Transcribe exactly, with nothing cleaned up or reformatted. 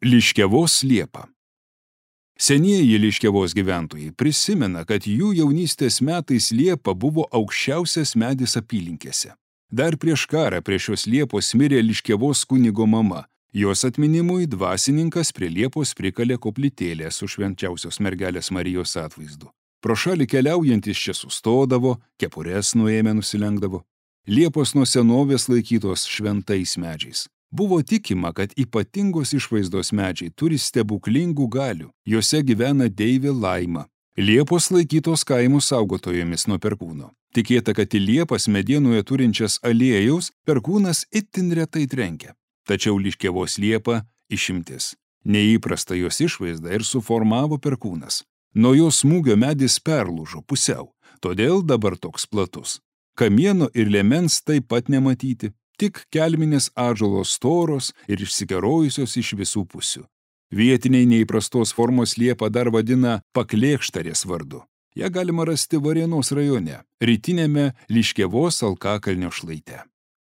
Liškiavos liepa. Senieji Liškiavos gyventojai prisimena, kad jų jaunystės metais liepa buvo aukščiausias medis apylinkėse. Dar prieš karą prie šios liepos mirė Liškiavos kunigo mama. Jos atminimui dvasininkas prie liepos prikalė koplytėlę su švenčiausios mergelės Marijos atvaizdu. Pro šalį keliaujantis čia sustodavo, kepures nuėmę nusilenkdavo. Liepos nuo senovės laikytos šventais medžiais. Buvo tikima, kad ypatingos išvaizdos medžiai turi stebuklingų galių. Jose gyvena deivė Laima. Liepos laikytos kaimų saugotojomis nuo perkūno. Tikėta, kad į liepas medienoje turinčias aliejaus perkūnas itin retai trenkia. Tačiau Liškiavos liepa išimtis. Neįprasta jos išvaizda ir suformavo perkūnas. Nuo jos smūgio medis perlūžo pusiau, todėl dabar toks platus. Kamieno ir liemens taip pat nematyti. Tik kelminės ąžuolos storos ir išsikerojusios iš visų pusių. Vietiniai neįprastos formos liepą dar vadina paklėkštarės vardu. Ja galima rasti Varėnos rajone, rytinėme Liškiavos Alkakalnio šlaite.